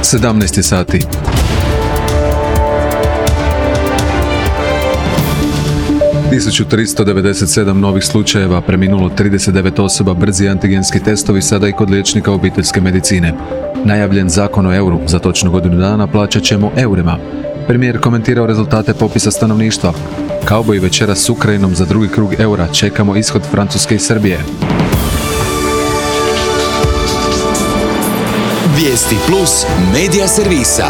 17 sati. Tisuću 397 novih slučajeva, preminulo 39 osoba, brzi antigenski testovi sada i kod liječnika obiteljske medicine. Najavljen zakon o euru, za točno godinu dana plaćat ćemo eurima. Premijer komentirao rezultate popisa stanovništva. Kauboji večera s Ukrajinom za drugi krug eura, čekamo ishod Francuske i Srbije. Vijesti plus medija servisa.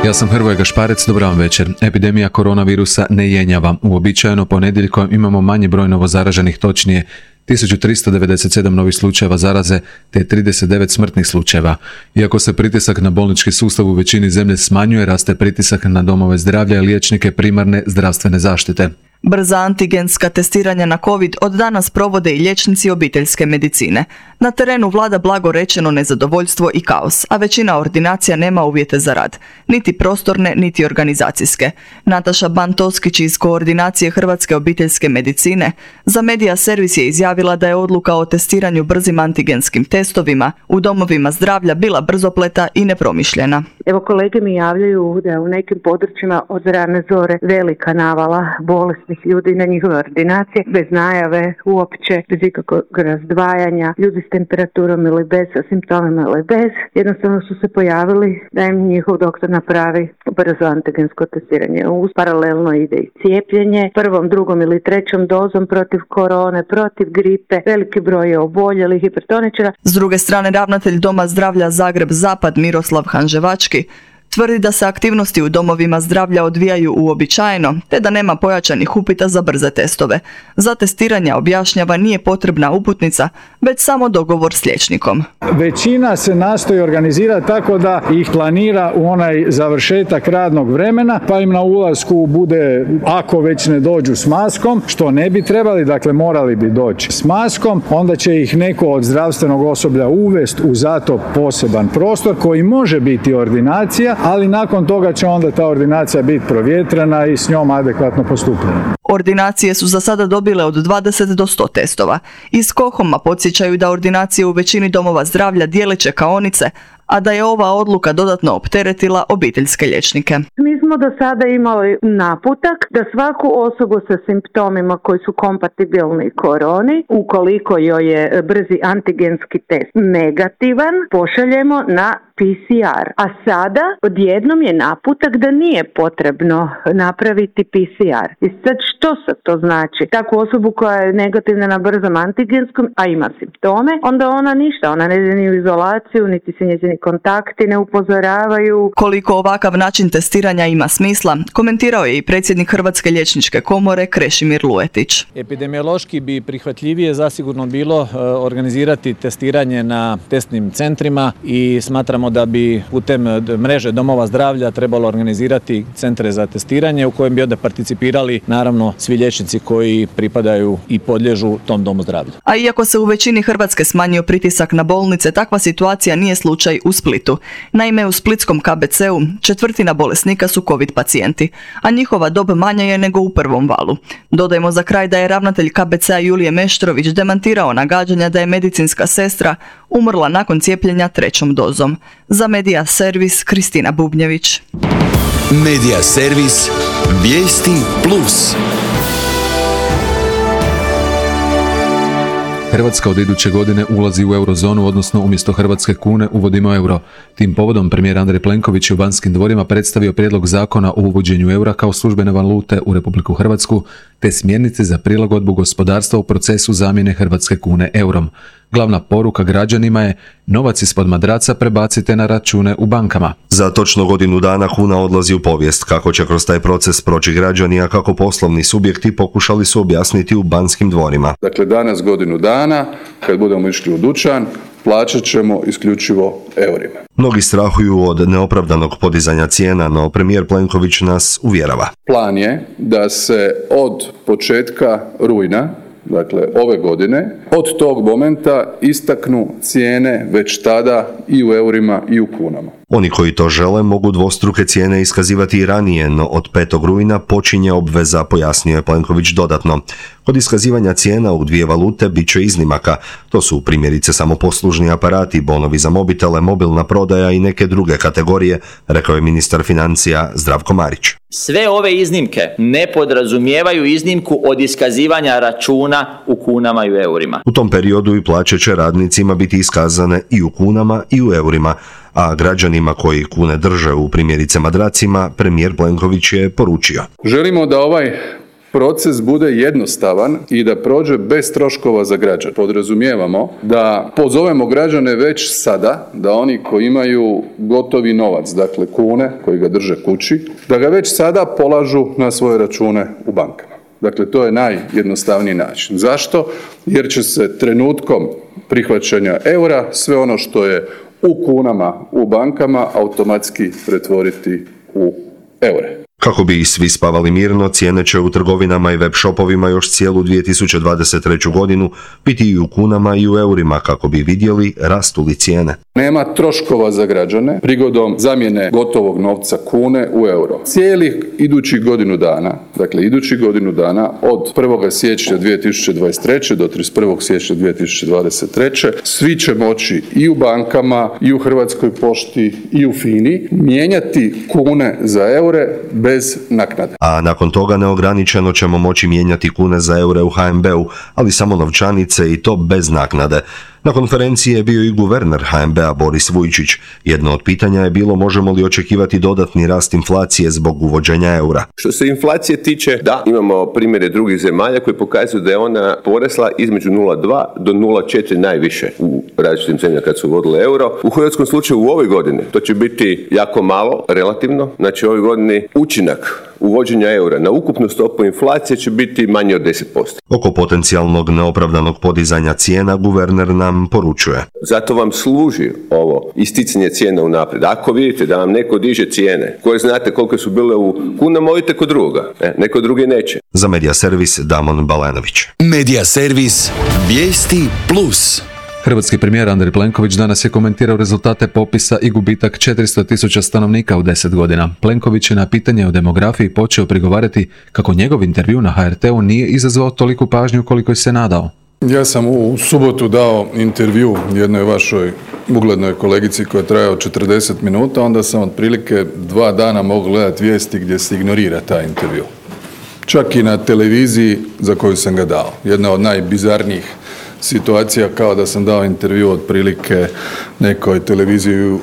Ja sam Hrvoje Gašparec, dobar vam večer. Epidemija koronavirusa ne jenjava. Uobičajeno ponedjeljkom imamo manji broj novozaraženih, točnije 1397 novih slučajeva zaraze te 39 smrtnih slučajeva. Iako se pritisak na bolnički sustav u većini zemlje smanjuje, raste pritisak na domove zdravlja i liječnike primarne zdravstvene zaštite. Brza antigenska testiranja na COVID od danas provode i liječnici obiteljske medicine. Na terenu vlada blago rečeno nezadovoljstvo i kaos, a većina ordinacija nema uvjete za rad, niti prostorne, niti organizacijske. Nataša Ban-Toskić iz koordinacije Hrvatske obiteljske medicine za Medija Servis je izjavila da je odluka o testiranju brzim antigenskim testovima u domovima zdravlja bila brzopleta i nepromišljena. Evo, kolege mi javljaju da u nekim područjima od rane zore velika navala bolesnih ljudi na njihove ordinacije, bez najave uopće, bez ikakvog razdvajanja, ljudi s temperaturom ili bez, sa simptomima ili bez. Jednostavno su se pojavili da im njihov doktor napravi brzo antigensko testiranje. Uz paralelno ide i cijepljenje, prvom, drugom ili trećom dozom protiv korone, protiv gripe, veliki broj je oboljelih hipertoničara. S druge strane, ravnatelj Doma zdravlja Zagreb Zapad Miroslav Hanževački tvrdi da se aktivnosti u domovima zdravlja odvijaju uobičajeno, te da nema pojačanih upita za brze testove. Za testiranje, objašnjava, nije potrebna uputnica, već samo dogovor s liječnikom. Većina se nastoji organizirati tako da ih planira u onaj završetak radnog vremena, pa im na ulasku bude, ako već ne dođu s maskom, što ne bi trebali, dakle morali bi doći s maskom, onda će ih neko od zdravstvenog osoblja uvesti u zato poseban prostor koji može biti ordinacija, ali nakon toga će onda ta ordinacija biti provjetrena i s njom adekvatno postupljena. Ordinacije su za sada dobile od 20 do 100 testova. Iz KOHOM-a podsjećaju da ordinacije u većini domova zdravlja dijele čekaonice, a da je ova odluka dodatno opteretila obiteljske liječnike. Mi smo do sada imali naputak da svaku osobu sa simptomima koji su kompatibilni koroni, ukoliko joj je brzi antigenski test negativan, pošaljemo na PCR. A sada odjednom je naputak da nije potrebno napraviti PCR. I sad što sad to znači? Takvu osobu koja je negativna na brzom antigenskom, a ima simptome, onda ona ništa, ona ne ide ni u izolaciju, niti se njezini kontakti ne upozoravaju. Koliko ovakav način testiranja ima smisla, komentirao je i predsjednik Hrvatske liječničke komore Krešimir Luetić. Epidemiološki bi prihvatljivije zasigurno bilo organizirati testiranje na testnim centrima i smatramo da bi putem mreže domova zdravlja trebalo organizirati centre za testiranje u kojem bi onda participirali naravno svi liječnici koji pripadaju i podliježu tom domu zdravlja. A iako se u većini Hrvatske smanjio pritisak na bolnice, takva situacija nije slučaj u Splitu. Naime, u splitskom KBC-u četvrtina bolesnika su COVID pacijenti, a njihova dob manja je nego u prvom valu. Dodajmo za kraj da je ravnatelj KBC-a Julije Meštrović demantirao nagađanja da je medicinska sestra umrla nakon cijepljenja 3. dozom. Za Medija Servis, Kristina Bubnjević. Medija Servis, vijesti plus. Hrvatska od iduće godine ulazi u eurozonu, odnosno umjesto hrvatske kune uvodimo euro. Tim povodom premijer Andrej Plenković je u Banskim dvorima predstavio prijedlog zakona o uvođenju eura kao službene valute u Republiku Hrvatsku, te smjernice za prilagodbu gospodarstva u procesu zamjene hrvatske kune eurom. Glavna poruka građanima je: novac ispod madraca prebacite na račune u bankama. Za točno godinu dana kuna odlazi u povijest. Kako će kroz taj proces proći građani, a kako poslovni subjekti, pokušali su objasniti u Banskim dvorima. Dakle, danas godinu dana, kad budemo išli u dućan, plaćat ćemo isključivo eurima. Mnogi strahuju od neopravdanog podizanja cijena, no premijer Plenković nas uvjerava. Plan je da se od početka rujna, dakle ove godine, od tog momenta istaknu cijene već tada i u eurima i u kunama. Oni koji to žele mogu dvostruke cijene iskazivati i ranije, no od 5. rujna počinje obveza, pojasnio je Plenković dodatno. Kod iskazivanja cijena u dvije valute bit će iznimaka. To su primjerice samoposlužni aparati, bonovi za mobitele, mobilna prodaja i neke druge kategorije, rekao je ministar financija Zdravko Marić. Sve ove iznimke ne podrazumijevaju iznimku od iskazivanja računa u kunama i u eurima. U tom periodu i plaće će radnicima biti iskazane i u kunama i u eurima, a građanima koji kune drže u primjerice madracima, premijer Plenković je poručio. Želimo da ovaj proces bude jednostavan i da prođe bez troškova za građane. Podrazumijevamo da pozovemo građane već sada, da oni koji imaju gotovi novac, dakle kune, koji ga drže kući, da ga već sada polažu na svoje račune u bankama. Dakle, to je najjednostavniji način. Zašto? Jer će se trenutkom prihvaćanja eura sve ono što je u kunama u bankama automatski pretvoriti u eure. Kako bi svi spavali mirno, cijene će u trgovinama i web shopovima još cijelu 2023. godinu biti i u kunama i u eurima kako bi vidjeli rastu li cijene. Nema troškova za građane prigodom zamjene gotovog novca kune u euro. Cijelih idućih godinu dana, dakle idućih godinu dana od 1. siječnja 2023. do 31. siječnja 2023. svi će moći i u bankama, i u Hrvatskoj pošti, i u FINI mijenjati kune za eure bez naknade. A nakon toga neograničeno ćemo moći mijenjati kune za eure u HNB-u, ali samo novčanice i to bez naknade. Na konferenciji je bio i guverner HNB-a Boris Vujčić. Jedno od pitanja je bilo možemo li očekivati dodatni rast inflacije zbog uvođenja eura. Što se inflacije tiče, da, imamo primjere drugih zemalja koji pokazuju da je ona porasla između 0,2 do 0,4 najviše u različitim zemljama kad su uvodile euro. U hrvatskom slučaju u ovoj godini to će biti jako malo, relativno. Znači u ovoj godini učinak uvođenja eura na ukupnu stopu inflacije će biti manje od 10%. Oko potencijalnog neopravdanog podizanja cijena guverner nam poručuje. Zato vam služi ovo isticanje cijena unaprijed. Ako vidite da vam neko diže cijene koje znate koliko su bile u kunama, odite kod drugoga. Neko drugi neće. Za Media Servis Damon Balenović. Media Servis Vijesti Plus. Hrvatski premijer Andrej Plenković danas je komentirao rezultate popisa i gubitak 400.000 stanovnika u 10 godina. Plenković je na pitanje o demografiji počeo prigovarati kako njegov intervju na HRT-u nije izazvao toliku pažnju koliko je se nadao. Ja sam u subotu dao intervju jednoj vašoj uglednoj kolegici koja je trajao 40 minuta, onda sam otprilike 2 dana mogao gledati vijesti gdje se ignorira taj intervju. Čak i na televiziji za koju sam ga dao. Jedna od najbizarnijih situacija kao da sam dao intervju otprilike nekoj televiziji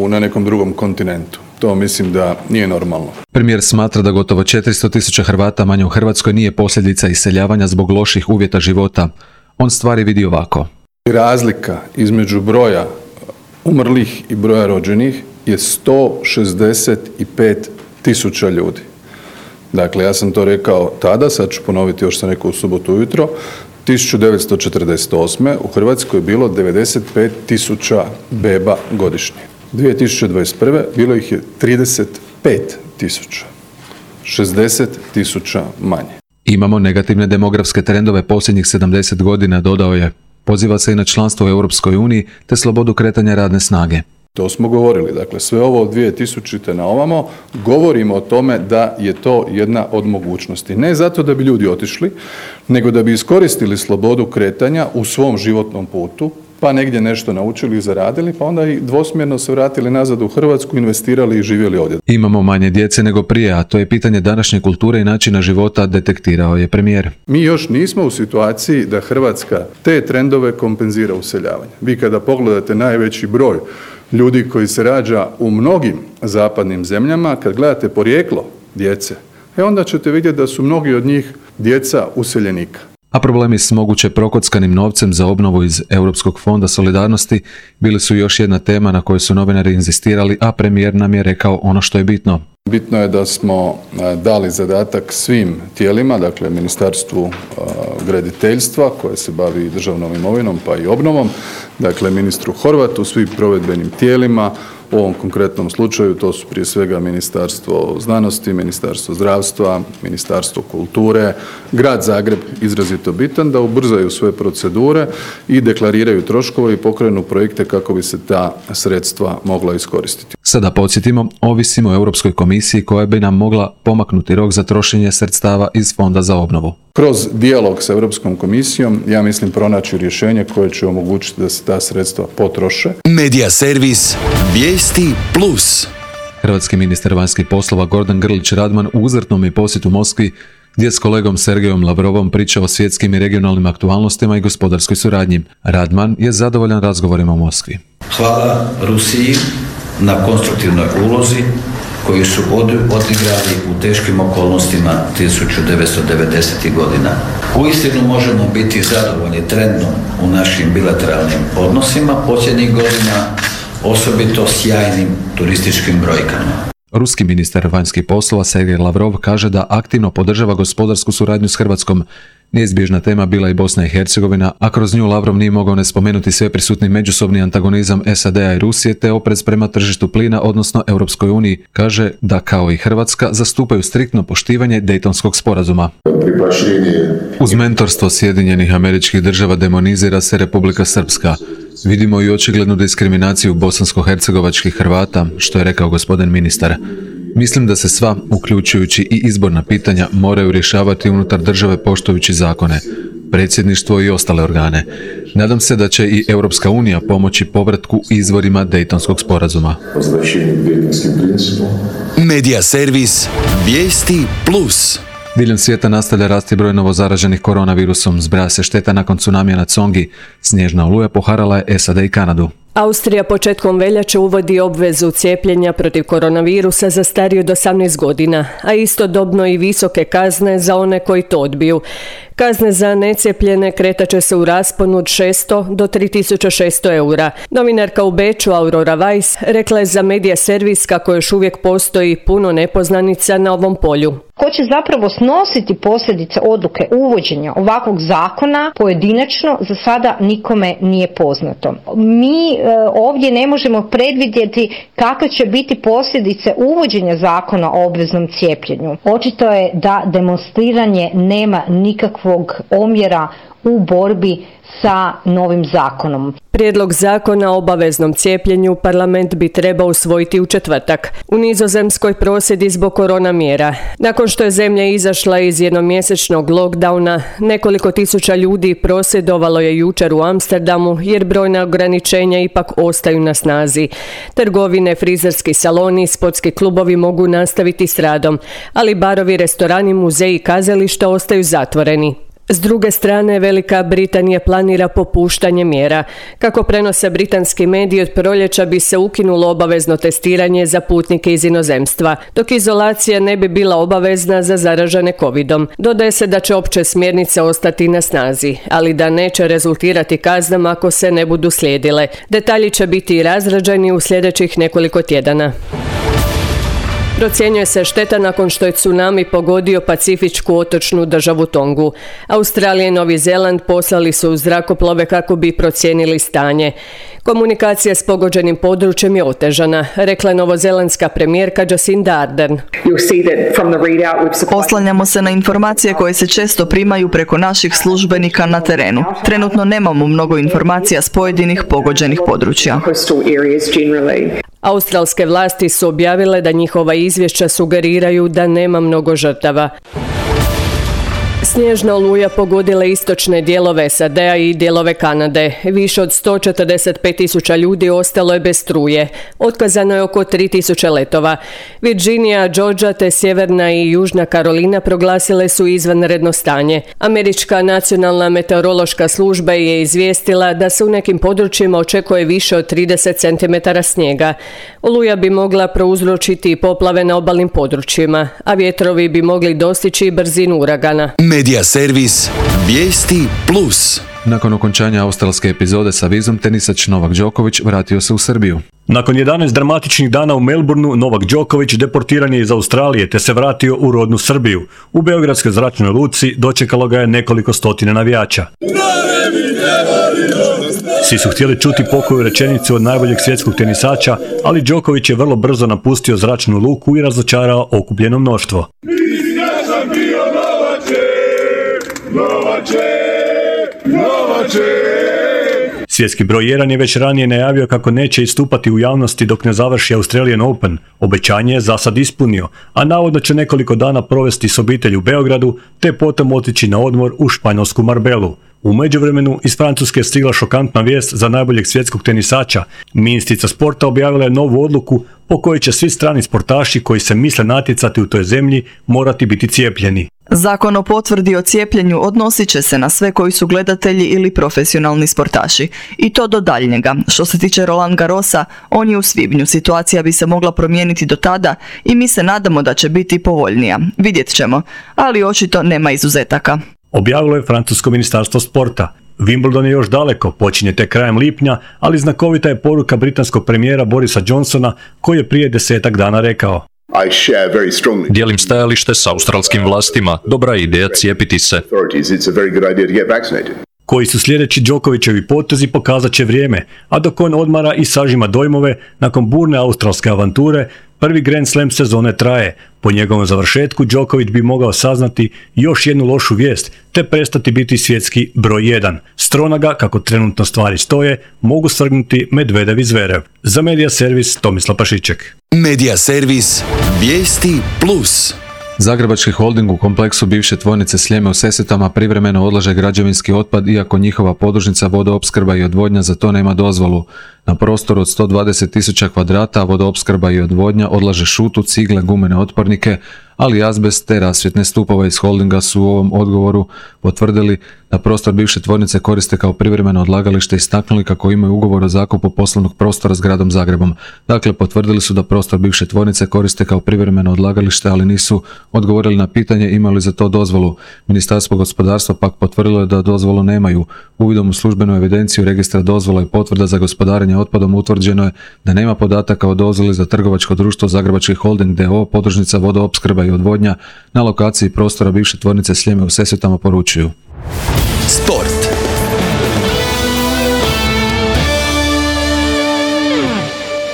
na nekom drugom kontinentu. To mislim da nije normalno. Premijer smatra da gotovo 400.000 Hrvata manje u Hrvatskoj nije posljedica iseljavanja zbog loših uvjeta života. On stvari vidi ovako. Razlika između broja umrlih i broja rođenih je 165.000 ljudi. Dakle, ja sam to rekao tada, sad ću ponoviti još sam rekao u subotu ujutro. 1948. u Hrvatskoj je bilo 95.000 beba godišnje. 2021. bilo ih je 35.000. 60.000 manje. Imamo negativne demografske trendove posljednjih 70 godina, dodao je. Poziva se i na članstvo u Europskoj uniji te slobodu kretanja radne snage. To smo govorili. Dakle, sve ovo od 2000. na ovamo govorimo o tome da je to jedna od mogućnosti. Ne zato da bi ljudi otišli, nego da bi iskoristili slobodu kretanja u svom životnom putu, pa negdje nešto naučili i zaradili, pa onda i dvosmjerno se vratili nazad u Hrvatsku, investirali i živjeli ovdje. Imamo manje djece nego prije, a to je pitanje današnje kulture i načina života, detektirao je premijer. Mi još nismo u situaciji da Hrvatska te trendove kompenzira useljavanjem. Vi kada pogledate najveći broj ljudi koji se rađa u mnogim zapadnim zemljama, kad gledate porijeklo djece, onda ćete vidjeti da su mnogi od njih djeca useljenika. A problemi s moguće prokockanim novcem za obnovu iz Europskog fonda solidarnosti bili su još jedna tema na kojoj su novinari inzistirali, a premijer nam je rekao ono što je bitno. Bitno je da smo dali zadatak svim tijelima, dakle Ministarstvu graditeljstva koje se bavi državnom imovinom pa i obnovom, dakle ministru Horvatu, svim provedbenim tijelima, U ovom konkretnom slučaju to su prije svega Ministarstvo znanosti, Ministarstvo zdravstva, Ministarstvo kulture, Grad Zagreb izrazito bitan da ubrzaju sve procedure i deklariraju troškove i pokrenu projekte kako bi se ta sredstva mogla iskoristiti. Sada podsjetimo, ovisimo o Europskoj komisiji koja bi nam mogla pomaknuti rok za trošenje sredstava iz Fonda za obnovu. Kroz dijalog sa Europskom komisijom, ja mislim pronaći rješenje koje će omogućiti da se ta sredstva potroše. Medija servis Vijesti Plus. Hrvatski ministar vanjskih poslova Gordan Grlić Radman u uzvratnom je posjetu Moskvi gdje s kolegom Sergejom Lavrovom priča o svjetskim i regionalnim aktualnostima i gospodarskoj suradnji. Radman je zadovoljan razgovorima u Moskvi. Hvala Rusiji na konstruktivnoj ulozi koju su odigrali u teškim okolnostima 1990. godina. Uistinu možemo biti zadovoljni trendom u našim bilateralnim odnosima posljednjih godina, osobito sjajnim turističkim brojkama. Ruski ministar vanjskih poslova Sergej Lavrov kaže da aktivno podržava gospodarsku suradnju s Hrvatskom. Neizbježna tema bila i Bosna i Hercegovina, a kroz nju Lavrov nije mogao ne spomenuti sve prisutni međusobni antagonizam SAD-a i Rusije te oprez prema tržištu plina, odnosno Europskoj uniji. Kaže da kao i Hrvatska zastupaju striktno poštivanje Dejtonskog sporazuma. Uz mentorstvo Sjedinjenih Američkih Država demonizira se Republika Srpska. Vidimo i očiglednu diskriminaciju bosansko-hercegovačkih Hrvata, što je rekao gospodin ministar. Mislim da se sva, uključujući i izborna pitanja, moraju rješavati unutar države poštujući zakone, predsjedništvo i ostale organe. Nadam se da će i Europska unija pomoći povratku izvorima Dejtonskog sporazuma. Medija servis Vijesti Plus. Diljem svijeta nastavlja rasti broj novozaraženih koronavirusom, zbraja se šteta nakon tsunamija na Tsongi. Snježna oluja poharala je SAD i Kanadu. Austrija početkom veljače uvodi obvezu cijepljenja protiv koronavirusa za starije od 18 godina, a istodobno i visoke kazne za one koji to odbiju. Kazne za necijepljene kretaće se u rasponu od 600 do 3600 eura. Novinarka u Beču Aurora Weiss rekla je za Medija servis kako još uvijek postoji puno nepoznanica na ovom polju. Ko će zapravo snositi posljedice odluke uvođenja ovakvog zakona pojedinačno za sada nikome nije poznato. Mi ovdje ne možemo predvidjeti kakve će biti posljedice uvođenja zakona o obveznom cijepljenju. Očito je da demonstriranje nema nikakvog omjera u borbi sa novim zakonom. Prijedlog zakona o obaveznom cijepljenju parlament bi trebao usvojiti u četvrtak. U Nizozemskoj prosvjedi zbog korona mjera. Nakon što je zemlja izašla iz jednomjesečnog lockdowna, nekoliko tisuća ljudi prosvjedovalo je jučer u Amsterdamu jer brojna ograničenja ipak ostaju na snazi. Trgovine, frizerski saloni i sportski klubovi mogu nastaviti s radom, ali barovi, restorani, muzeji i kazališta ostaju zatvoreni. S druge strane, Velika Britanija planira popuštanje mjera. Kako prenose britanski mediji, od proljeća bi se ukinulo obavezno testiranje za putnike iz inozemstva, dok izolacija ne bi bila obavezna za zaražene covidom. Dodaje se da će opće smjernice ostati na snazi, ali da neće rezultirati kaznama ako se ne budu slijedile. Detalji će biti razrađeni u sljedećih nekoliko tjedana. Procjenjuje se šteta nakon što je tsunami pogodio pacifičku otočnu državu Tongu. Australija i Novi Zeland poslali su zrakoplove kako bi procijenili stanje. Komunikacija s pogođenim područjem je otežana, rekla je novozelandska premijerka Jacinda Ardern. Oslanjamo se na informacije koje se često primaju preko naših službenika na terenu. Trenutno nemamo mnogo informacija s pojedinih pogođenih područja. Australske vlasti su objavile da njihova izvješća sugeriraju da nema mnogo žrtava. Snježna oluja pogodila istočne dijelove SAD-a i dijelove Kanade. Više od 145.000 ljudi ostalo je bez struje. Otkazano je oko 3.000 letova. Virginia, Georgia te Sjeverna i Južna Karolina proglasile su izvanredno stanje. Američka nacionalna meteorološka služba je izvijestila da se u nekim područjima očekuje više od 30 cm snijega. Oluja bi mogla prouzročiti poplave na obalnim područjima, a vjetrovi bi mogli dostići brzinu uragana. Medija servis Vijesti Plus. Nakon okončanja australske epizode sa vizom, tenisač Novak Đoković vratio se u Srbiju. Nakon 11 dramatičnih dana u Melbourneu, Novak Đoković deportiran je iz Australije te se vratio u rodnu Srbiju. U beogradskoj zračnoj luci dočekalo ga je nekoliko stotina navijača. Svi su htjeli čuti pokoju rečenicu od najboljeg svjetskog tenisača, ali Đoković je vrlo brzo napustio zračnu luku i razočarao okupljeno mnoštvo. Svjetski broj 1 je već ranije najavio kako neće istupati u javnosti dok ne završi Australian Open. Obećanje je za sad ispunio, a navodno će nekoliko dana provesti s obitelji u Beogradu, te potom otići na odmor u španjolsku Marbelu. U međuvremenu iz Francuske je stigla šokantna vijest za najboljeg svjetskog tenisača. Ministrica sporta objavila je novu odluku po kojoj će svi strani sportaši koji se misle natjecati u toj zemlji morati biti cijepljeni. Zakon o potvrdi o cijepljenju odnosit će se na sve koji su gledatelji ili profesionalni sportaši. I to do daljnjega. Što se tiče Roland Garrosa, on je u svibnju. Situacija bi se mogla promijeniti do tada i mi se nadamo da će biti povoljnija. Vidjet ćemo, ali očito nema izuzetaka. Objavilo je francusko ministarstvo sporta. Wimbledon je još daleko, počinje tek krajem lipnja, ali znakovita je poruka britanskog premijera Borisa Johnsona koji je prije 10 dana rekao: Dijelim stajalište s australskim vlastima. Dobra je ideja cijepiti se. Koji su sljedeći Đokovićevi potezi pokazat će vrijeme, a dok on odmara i sažima dojmove, nakon burne australske avanture, prvi Grand Slam sezone traje. Po njegovom završetku Đoković bi mogao saznati još jednu lošu vijest, te prestati biti svjetski broj 1. Strona ga, kako trenutno stvari stoje, mogu svrgnuti Medvedev i Zverev. Za Medija servis Tomislav Pašiček. Medija servis Vijesti Plus. Zagrebački holding u kompleksu bivše tvornice Sljeme u Sesvetama privremeno odlaže građevinski otpad iako njihova podružnica vodoopskrba i odvodnja za to nema dozvolu. Na prostoru od 120.000 kvadrata vodoopskrba i odvodnja odlaže šutu, cigle, gumene otpornike, ali azbest te rasvjetne stupove iz holdinga su u ovom odgovoru potvrdili da prostor bivše tvornice koriste kao privremeno odlagalište i istaknuli kako imaju ugovor o zakupu poslovnog prostora s gradom Zagrebom. Dakle, potvrdili su da prostor bivše tvornice koriste kao privremeno odlagalište, ali nisu odgovorili na pitanje imaju li za to dozvolu. Ministarstvo gospodarstva pak potvrdilo je da dozvolu nemaju. Uvidom u službenu evidenciju registra dozvola i potvrda za gospodarenje otpadom utvrđeno je da nema podataka o dozvoli za trgovačko društvo Zagrebački holding d.o.o. podružnica vodoopskrba i odvodnja na lokaciji prostora bivše tvornice Sljeme u Sesvetama, poručuju. Sport.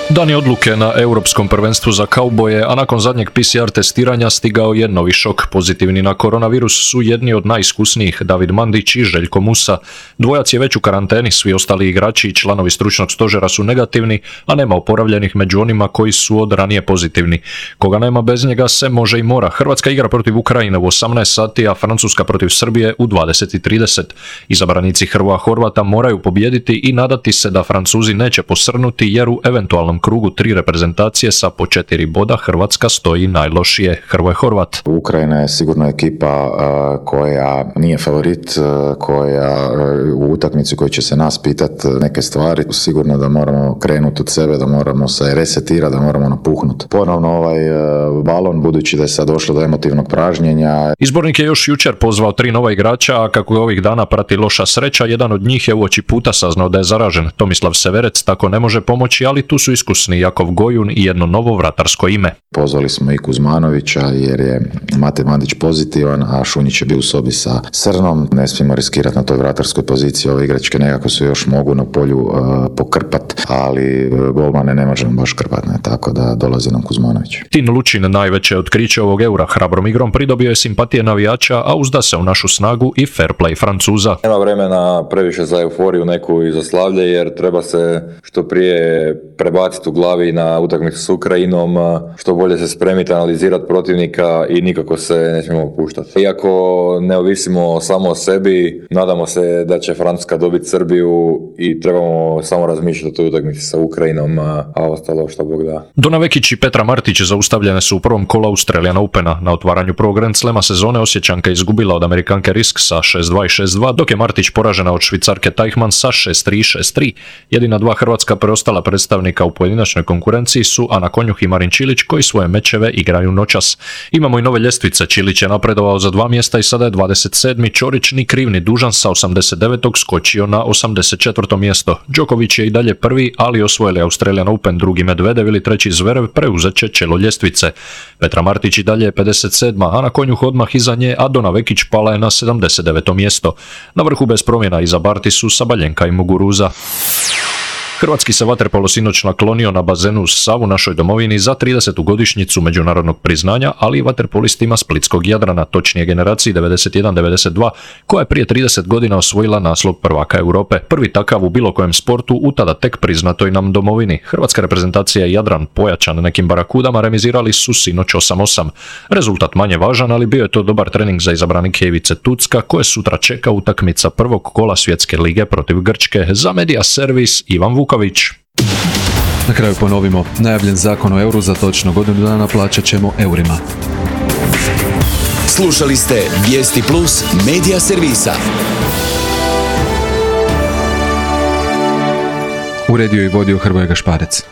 Dan je odluke na Europskom prvenstvu za kauboje, a nakon zadnjeg PCR testiranja stigao je novi šok. Pozitivni na koronavirus su jedni od najiskusnijih, David Mandić i Željko Musa. Dvojac je već u karanteni, svi ostali igrači i članovi stručnog stožera su negativni, a nema oporavljenih među onima koji su od ranije pozitivni. Koga nema bez njega se može i mora. Hrvatska igra protiv Ukrajine u 18 sati, a Francuska protiv Srbije u 20:30. Izabranici Hrvoja Horvata moraju pobijediti i nadati se da Francuzi neće posrnuti jer u eventualnom krugu 3 reprezentacije sa po 4 boda Hrvatska stoji najlošije. Hrvoje Horvat. Ukrajina je sigurno ekipa koja nije favorit, koja u utakmici koji će se nas pitati neke stvari. Sigurno da moramo krenuti od sebe, da moramo se resetirati, da moramo napuhnuti ponovno ovaj balon, budući da je sad došlo do emotivnog pražnjenja. Izbornik je još jučer pozvao 3 nova igrača, a kako je ovih dana prati loša sreća, jedan od njih je uoči puta saznao da je zaražen. Tomislav Severec tako ne može pomoći, ali tu su iskusni Jakov Gojun i jedno novo vratarsko ime. Pozvali smo i Kuzmanovića jer je Mate Mandić pozitivan, a Šunjić je bio u sobi sa Srnom. Ne smijemo riskirati na toj vratarskoj poziciji. Ove igračke nekako se još mogu na polju pokrpat, ali golmane ne možemo baš krpati, tako da dolazi nam Kuzmanović. Tin Lučin, najveće otkriće ovog Eura, hrabrom igrom pridobio je simpatije navijača, a uzda se u našu snagu i fair play Francuza. Nema vremena previše za euforiju neku i za slavlje, jer treba se što prije prebaciti u glavi na utakmicu s Ukrajinom, što bolje se spremiti, analizirati protivnika i nikako se ne smijemo opuštati. Iako ne ovisimo samo o sebi, nadamo se da će Francuska dobiti Srbiju i trebamo samo razmišljati o toj utakmici sa Ukrajinom, a ostalo što Bog da. Dona Vekić i Petra Martić zaustavljene su u prvom kolu Australian Opena. Na otvaranju prvog Grand Slema sezone Osječanka izgubila od Amerikanke Risk sa 6-2 i 6-2, dok je Martić poražena od Švicarke Teichmann sa 6-3 i 6-3. Jedina dva hrvatska preostala predstavnika u pojedinačnoj konkurenciji su Ana Konjuh i Marin Čilić, koji svoje mečeve igraju noćas. Imamo i nove ljestvice. Čilić je napredovao za 2 mjesta i sada je 27. Ćorić ni kriv ni dužan sa 89. skočio na 84. mjesto. Đoković je i dalje prvi, ali osvojili Australian Open, drugi Medvedev ili treći Zverev preuzet će čelo ljestvice. Petra Martić i dalje je 57. Ana Konjuh odmah iza nje, a Dona Vekić pala je na 79. mjesto. Na vrhu bez promjena iza Barti su Sabaljenka i Muguruza. Hrvatski se vaterpolo sinoć naklonio na bazenu uz Savu našoj domovini za 30. godišnjicu međunarodnog priznanja, ali i vaterpolistima splitskog Jadrana, točnije generaciji 91-92, koja je prije 30 godina osvojila naslov prvaka Europe. Prvi takav u bilo kojem sportu u tada tek priznatoj nam domovini. Hrvatska reprezentacija i Jadran, pojačan nekim barakudama, remizirali su sinoć 8-8. Rezultat manje važan, ali bio je to dobar trening za izabranike Ivice Tucka, koje sutra čeka utakmica prvog kola Svjetske lige protiv Grčke. Za Media Servis Ivan Vuković. Na kraju ponovimo, najavljen zakon o euru za točno godinu dana plaćat ćemo eurima. Slušali ste Vijesti Plus Media Servisa. Uredio i vodio Hrvoje Gašparec.